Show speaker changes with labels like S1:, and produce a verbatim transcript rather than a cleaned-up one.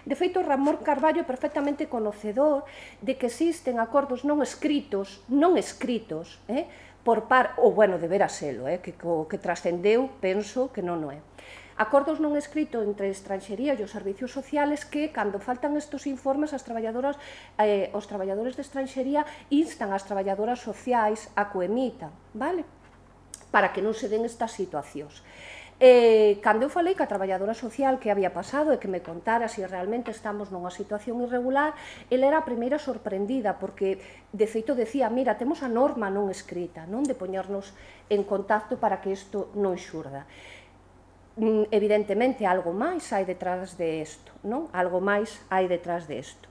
S1: De feito, Ramón Carballo é perfectamente conocedor de que existen acordos non escritos, non escritos, eh, por par, ou, bueno, debera selo, eh, que, que trascendeu, penso que non o é. Acordos non escritos entre estranxería e os servicios sociales que, cando faltan estes informes, as traballadoras, eh, os traballadores de estranxería instan as traballadoras sociais a que emitan, vale? Para que non se den estas situacións. Eh, cando eu falei ca traballadora social que había pasado e que me contara se realmente estamos nunha situación irregular, ela era a primeira sorprendida, porque de feito decía, mira, temos a norma non escrita, non de poñernos en contacto para que isto non xurda. Evidentemente, algo máis hai detrás de isto, non? Algo máis hai detrás de isto.